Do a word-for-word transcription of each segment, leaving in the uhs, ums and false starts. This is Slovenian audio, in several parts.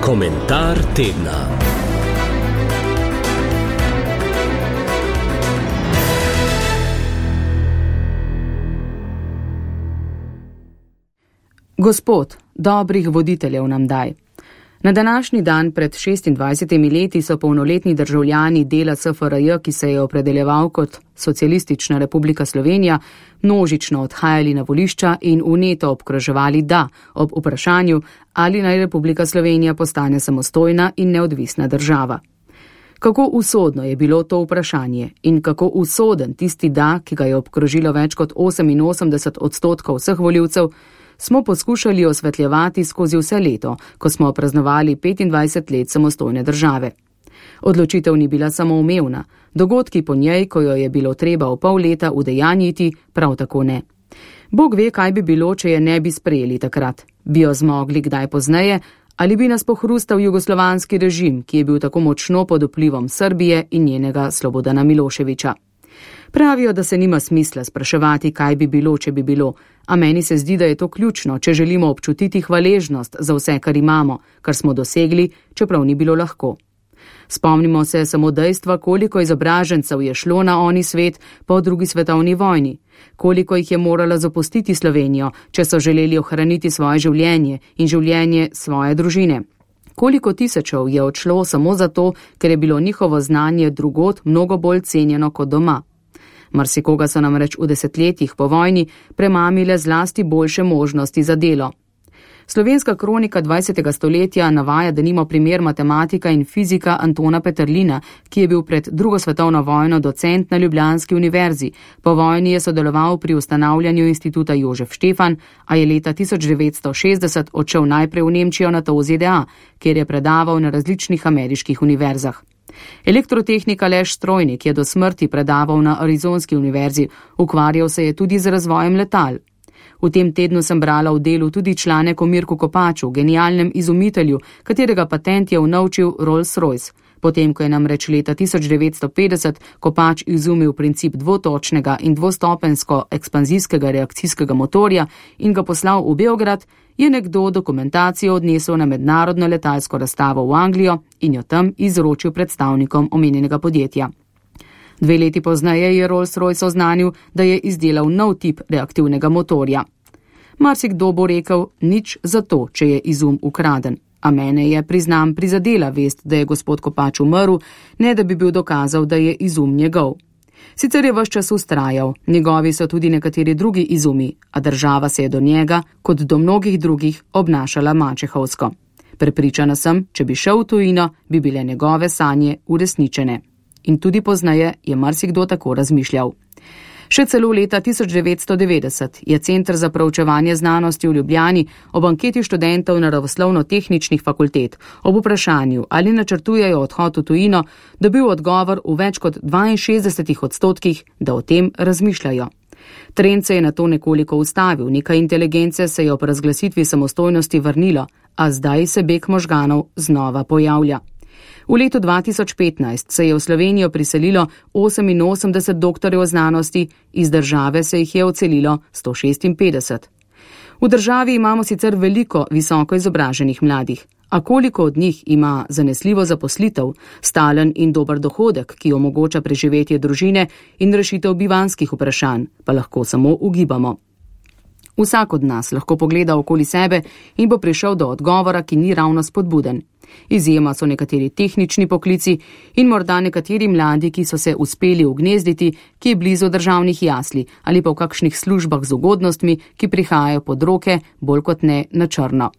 Komentar tedna. Gospod, dobrih voditeljev nam daj. Na današnji dan pred šestindvajsetimi leti so polnoletni državljani dela S F R J, ki se je opredeljeval kot Socialistična republika Slovenija, množično odhajali na volišča in vneto obkroževali da ob vprašanju, ali naj Republika Slovenija postane samostojna in neodvisna država. Kako usodno je bilo to vprašanje in kako usoden tisti da, ki ga je obkrožilo več kot oseminosemdeset odstotkov vseh volivcev, smo poskušali osvetljevati skozi vse leto, ko smo praznovali petindvajset let samostojne države. Odločitev ni bila samoumevna, dogodki po njej, ko jo je bilo treba v pol leta udejanjiti, prav tako ne. Bog ve, kaj bi bilo, če je ne bi sprejeli takrat. Bi jo zmogli kdaj pozneje, ali bi nas pohrustal jugoslovanski režim, ki je bil tako močno pod vplivom Srbije in njenega Slobodana Miloševića. Pravijo, da se nima smisla spraševati, kaj bi bilo, če bi bilo, a meni se zdi, da je to ključno, če želimo občutiti hvaležnost za vse, kar imamo, kar smo dosegli, čeprav ni bilo lahko. Spomnimo se samo dejstva, koliko izobražencev je šlo na oni svet po drugi svetovni vojni, koliko jih je morala zapustiti Slovenijo, če so želeli ohraniti svoje življenje in življenje svoje družine. Koliko tisočev je odšlo samo zato, ker je bilo njihovo znanje drugod mnogo bolj cenjeno kot doma. Marsikoga so namreč v desetletjih po vojni premamile zlasti boljše možnosti za delo. Slovenska kronika dvajsetega stoletja navaja denimo primer matematika in fizika Antona Peterlina, ki je bil pred drugo svetovno vojno docent na Ljubljanski univerzi. Po vojni je sodeloval pri ustanavljanju instituta Jožef Štefan, a je leta tisoč devetsto šestdeset odšel najprej v Nemčijo, nato v Z D A, kjer je predaval na različnih ameriških univerzah. Elektrotehnika Aleš Strojnik je do smrti predaval na Arizonski univerzi, ukvarjal se je tudi z razvojem letal. V tem tednu sem brala v Delu tudi članek o Mirku Kopaču, genialnem izumitelju, katerega patent je unovčil Rolls-Royce. Potem, ko je namreč leta tisoč devetsto petdeset Kopač izumil princip dvotočnega in dvostopensko ekspanzijskega reakcijskega motorja in ga poslal v Beograd, je nekdo dokumentacijo odnesel na mednarodno letalsko razstavo v Anglijo in jo tam izročil predstavnikom omenjenega podjetja. Dve leti pozneje je Rolls-Royce oznanil, da je izdelal nov tip reaktivnega motorja. Marsikdo bo rekel, nič za to, če je izum ukraden. A mene je, priznam, prizadela vest, da je gospod Kopač umrl, ne da bi bil dokazal, da je izum njegov. Sicer je ves čas vztrajal, njegovi so tudi nekateri drugi izumi, a država se je do njega, kot do mnogih drugih, obnašala mačehovsko. Prepričana sem, če bi šel v tujino, bi bile njegove sanje uresničene. In tudi pozneje je marsikdo tako razmišljal. Še celo leta tisoč devetsto devetdeset je Center za proučevanje znanosti v Ljubljani ob anketi študentov naravoslovno-tehničnih fakultet ob vprašanju, ali načrtujejo odhod v tujino, dobil odgovor v več kot dvainšestdesetih odstotkih, da o tem razmišljajo. Trend se je nato nekoliko ustavil, nekaj inteligence se je ob razglasitvi samostojnosti vrnilo, a zdaj se beg možganov znova pojavlja. V letu dva tisoč petnajst se je v Slovenijo priselilo oseminosemdeset doktorjev znanosti, iz države se jih je odselilo sto šestinpetdeset. V državi imamo sicer veliko visoko izobraženih mladih, a koliko od njih ima zanesljivo zaposlitev, stalen in dober dohodek, ki omogoča preživetje družine in rešitev bivanjskih vprašanj, pa lahko samo ugibamo. Vsak od nas lahko pogleda okoli sebe in bo prišel do odgovora, ki ni ravno spodbuden. Izjema so nekateri tehnični poklici in morda nekateri mladi, ki so se uspeli ugnezditi, ki je blizu državnih jasli ali pa v kakšnih službah z ugodnostmi, ki prihajajo pod roke bolj kot ne na črno.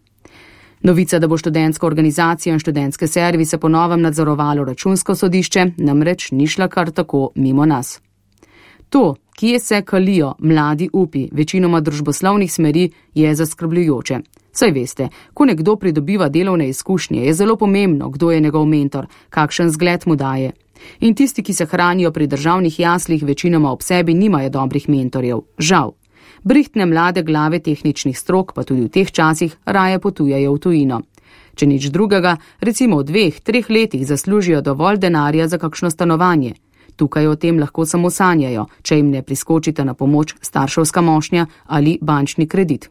Novica, da bo študentska organizacija in študentske servise po novem nadzorovalo računsko sodišče, namreč ni šla kar tako mimo nas. To, kje se kalijo mladi upi večinoma družboslovnih smeri, je zaskrbljujoče. Saj veste, ko nekdo pridobiva delovne izkušnje, je zelo pomembno, kdo je njegov mentor, kakšen zgled mu daje. In tisti, ki se hranijo pri državnih jaslih, večinoma ob sebi nimajo dobrih mentorjev. Žal. Brihtne mlade glave tehničnih strok pa tudi v teh časih raje potujejo v tujino. Če nič drugega, recimo v dveh, treh letih zaslužijo dovolj denarja za kakšno stanovanje. Tukaj o tem lahko samo sanjajo, če jim ne priskočite na pomoč starševska mošnja ali bančni kredit.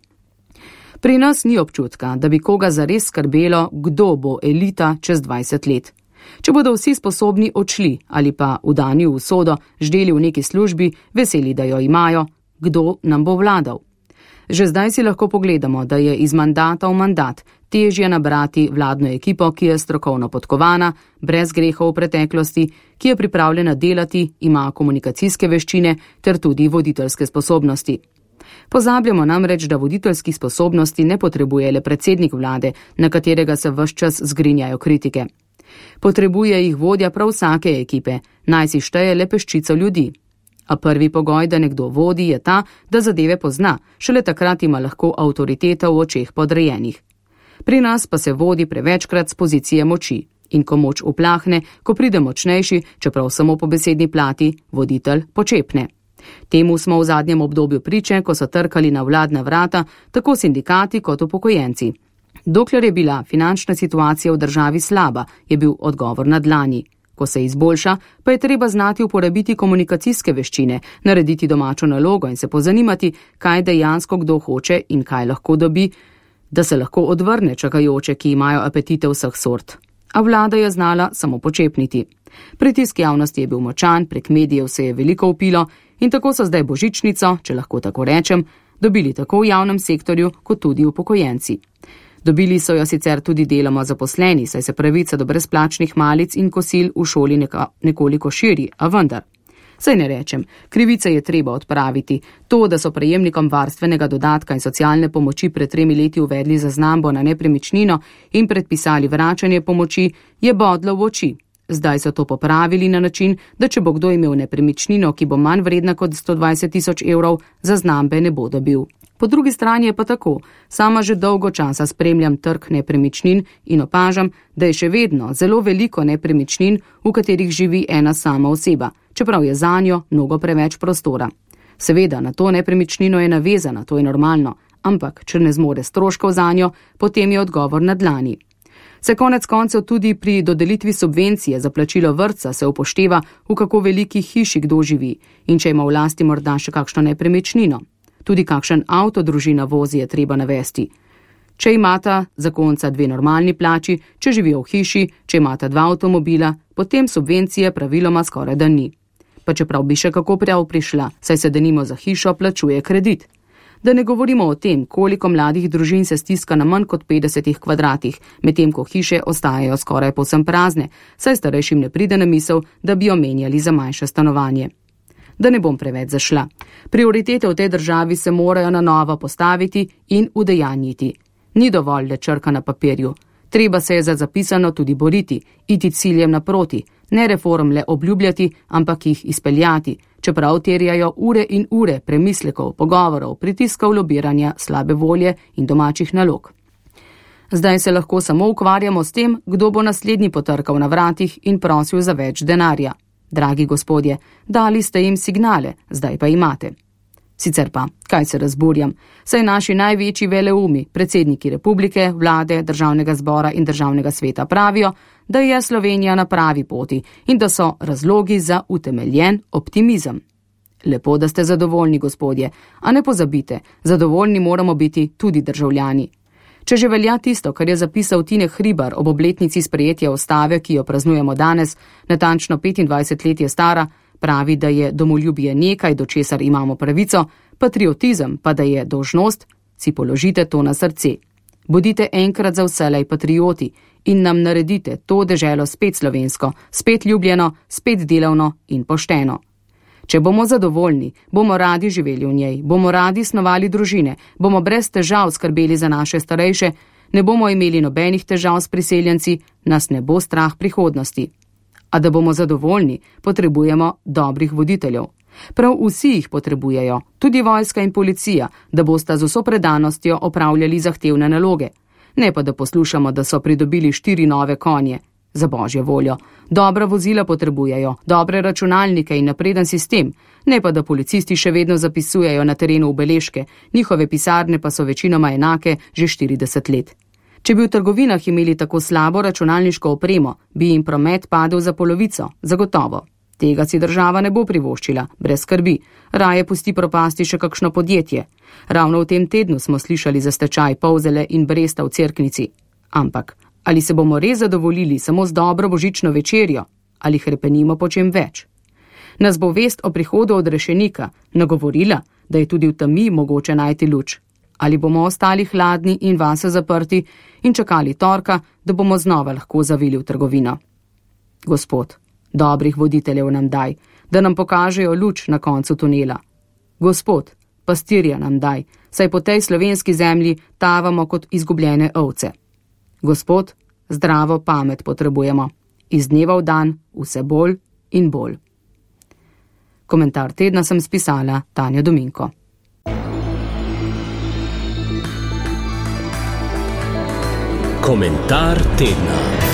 Pri nas ni občutka, da bi koga zares skrbelo, kdo bo elita čez dvajset let. Če bodo vsi sposobni odšli ali pa vdani v usodo, ždeli v neki službi, veseli, da jo imajo, kdo nam bo vladal. Že zdaj si lahko pogledamo, da je iz mandata v mandat težje nabrati vladno ekipo, ki je strokovno podkovana, brez grehov v preteklosti, ki je pripravljena delati, ima komunikacijske veščine ter tudi voditeljske sposobnosti. Pozabljamo namreč, da voditeljskih sposobnosti ne potrebuje le predsednik vlade, na katerega se ves čas zgrinjajo kritike. Potrebuje jih vodja prav vsake ekipe, naj si šteje le peščico ljudi. A prvi pogoj, da nekdo vodi, je ta, da zadeve pozna, šele takrat ima lahko avtoriteta v očeh podrejenih. Pri nas pa se vodi prevečkrat z pozicije moči in ko moč uplahne, ko pride močnejši, čeprav samo po besedni plati, voditelj počepne. Temu smo v zadnjem obdobju priče, ko so trkali na vladna vrata, tako sindikati kot upokojenci. Dokler je bila finančna situacija v državi slaba, je bil odgovor na dlani. Ko se izboljša, pa je treba znati uporabiti komunikacijske veščine, narediti domačo nalogo in se pozanimati, kaj dejansko kdo hoče in kaj lahko dobi, da se lahko odvrne čakajoče, ki imajo apetite vseh sort. A vlada je znala samo počepniti. Pritisk javnosti je bil močan, prek medijev se je veliko upilo in tako so zdaj božičnico, če lahko tako rečem, dobili tako v javnem sektorju kot tudi upokojenci. Dobili so jo sicer tudi deloma zaposleni, saj se pravica do brezplačnih malic in kosil v šoli neka, nekoliko širi, a vendar. Saj ne rečem, krivice je treba odpraviti. To, da so prejemnikom varstvenega dodatka in socialne pomoči pred tremi leti uvedli zaznambo na nepremičnino in predpisali vračanje pomoči, je bodlo v oči. Zdaj so to popravili na način, da če bo kdo imel nepremičnino, ki bo manj vredna kot sto dvajset tisoč evrov, zaznambe ne bo dobil. Po drugi strani je pa tako, sama že dolgo časa spremljam trg nepremičnin in opažam, da je še vedno zelo veliko nepremičnin, v katerih živi ena sama oseba, čeprav je zanjo mnogo preveč prostora. Seveda, na to nepremičnino je navezana, to je normalno, ampak če ne zmore stroškov zanjo, potem je odgovor na dlani. Se konec koncev tudi pri dodelitvi subvencije za plačilo vrtca se upošteva, v kako veliki hiši kdo živi in če ima v lasti morda še kakšno nepremičnino. Tudi kakšen avto družina vozi je treba navesti. Če imata zakonca dve normalni plači, če živijo v hiši, če imata dva avtomobila, potem subvencije praviloma skoraj da ni. Pa čeprav bi še kako prav prišla, saj se denimo za hišo plačuje kredit. Da ne govorimo o tem, koliko mladih družin se stiska na manj kot petdesetih kvadratih, medtem ko hiše ostajajo skoraj povsem prazne, saj starejšim ne pride na misel, da bi jo menjali za manjše stanovanje. Da ne bom preveč zašla. Prioritete v tej državi se morajo na novo postaviti in udejanjiti. Ni dovolj le črka na papirju. Treba se je za zapisano tudi boriti, iti ciljem naproti, ne reform le obljubljati, ampak jih izpeljati, čeprav terjajo ure in ure premislekov, pogovorov, pritiskov, lobiranja, slabe volje in domačih nalog. Zdaj se lahko samo ukvarjamo s tem, kdo bo naslednji potrkal na vratih in prosil za več denarja. Dragi gospodje, dali ste jim signale, zdaj pa imate. Sicer pa, kaj se razburjam, saj naši največji veleumi, predsedniki republike, vlade, državnega zbora in državnega sveta pravijo, da je Slovenija na pravi poti in da so razlogi za utemeljen optimizem. Lepo, da ste zadovoljni, gospodje, a ne pozabite, zadovoljni moramo biti tudi državljani. Če že velja tisto, kar je zapisal Tine Hribar ob obletnici sprejetja ustave, ki jo praznujemo danes, natančno petindvajset let je stara, pravi, da je domoljubje nekaj, do česar imamo pravico, patriotizem pa da je dolžnost, si položite to na srce. Bodite enkrat za vselej patrioti in nam naredite to deželo spet slovensko, spet ljubljeno, spet delavno in pošteno. Če bomo zadovoljni, bomo radi živeli v njej, bomo radi snovali družine, bomo brez težav skrbeli za naše starejše, ne bomo imeli nobenih težav s priseljenci, nas ne bo strah prihodnosti. A da bomo zadovoljni, potrebujemo dobrih voditeljev. Prav vsi jih potrebujejo, tudi vojska in policija, da bosta z vso predanostjo opravljali zahtevne naloge. Ne pa da poslušamo, da so pridobili štiri nove konje. Za božjo voljo. Dobra vozila potrebujejo, dobre računalnike in napreden sistem, ne pa da policisti še vedno zapisujejo na terenu ubeležke, njihove pisarne pa so večinoma enake že štirideset let. Če bi v trgovinah imeli tako slabo računalniško opremo, bi jim promet padel za polovico, zagotovo. Tega si država ne bo privoščila, brez skrbi, raje pusti propasti še kakšno podjetje. Ravno v tem tednu smo slišali za stečaj Polzele in Bresta v Cerknici. Ampak, ali se bomo res zadovoljili samo z dobro božično večerjo, ali hrepenimo po čem več? Nas bo vest o prihodu odrešenika nagovorila, da je tudi v temi mogoče najti luč? Ali bomo ostali hladni in vase zaprti in čakali torka, da bomo znova lahko zavili v trgovino? Gospod, dobrih voditeljev nam daj, da nam pokažejo luč na koncu tunela. Gospod, pastirja nam daj, saj po tej slovenski zemlji tavamo kot izgubljene ovce. Gospod, zdravo pamet potrebujemo. Iz dneva v dan vse bolj in bolj. Komentar tedna sem spisala Tanja Dominko. Komentar tedna.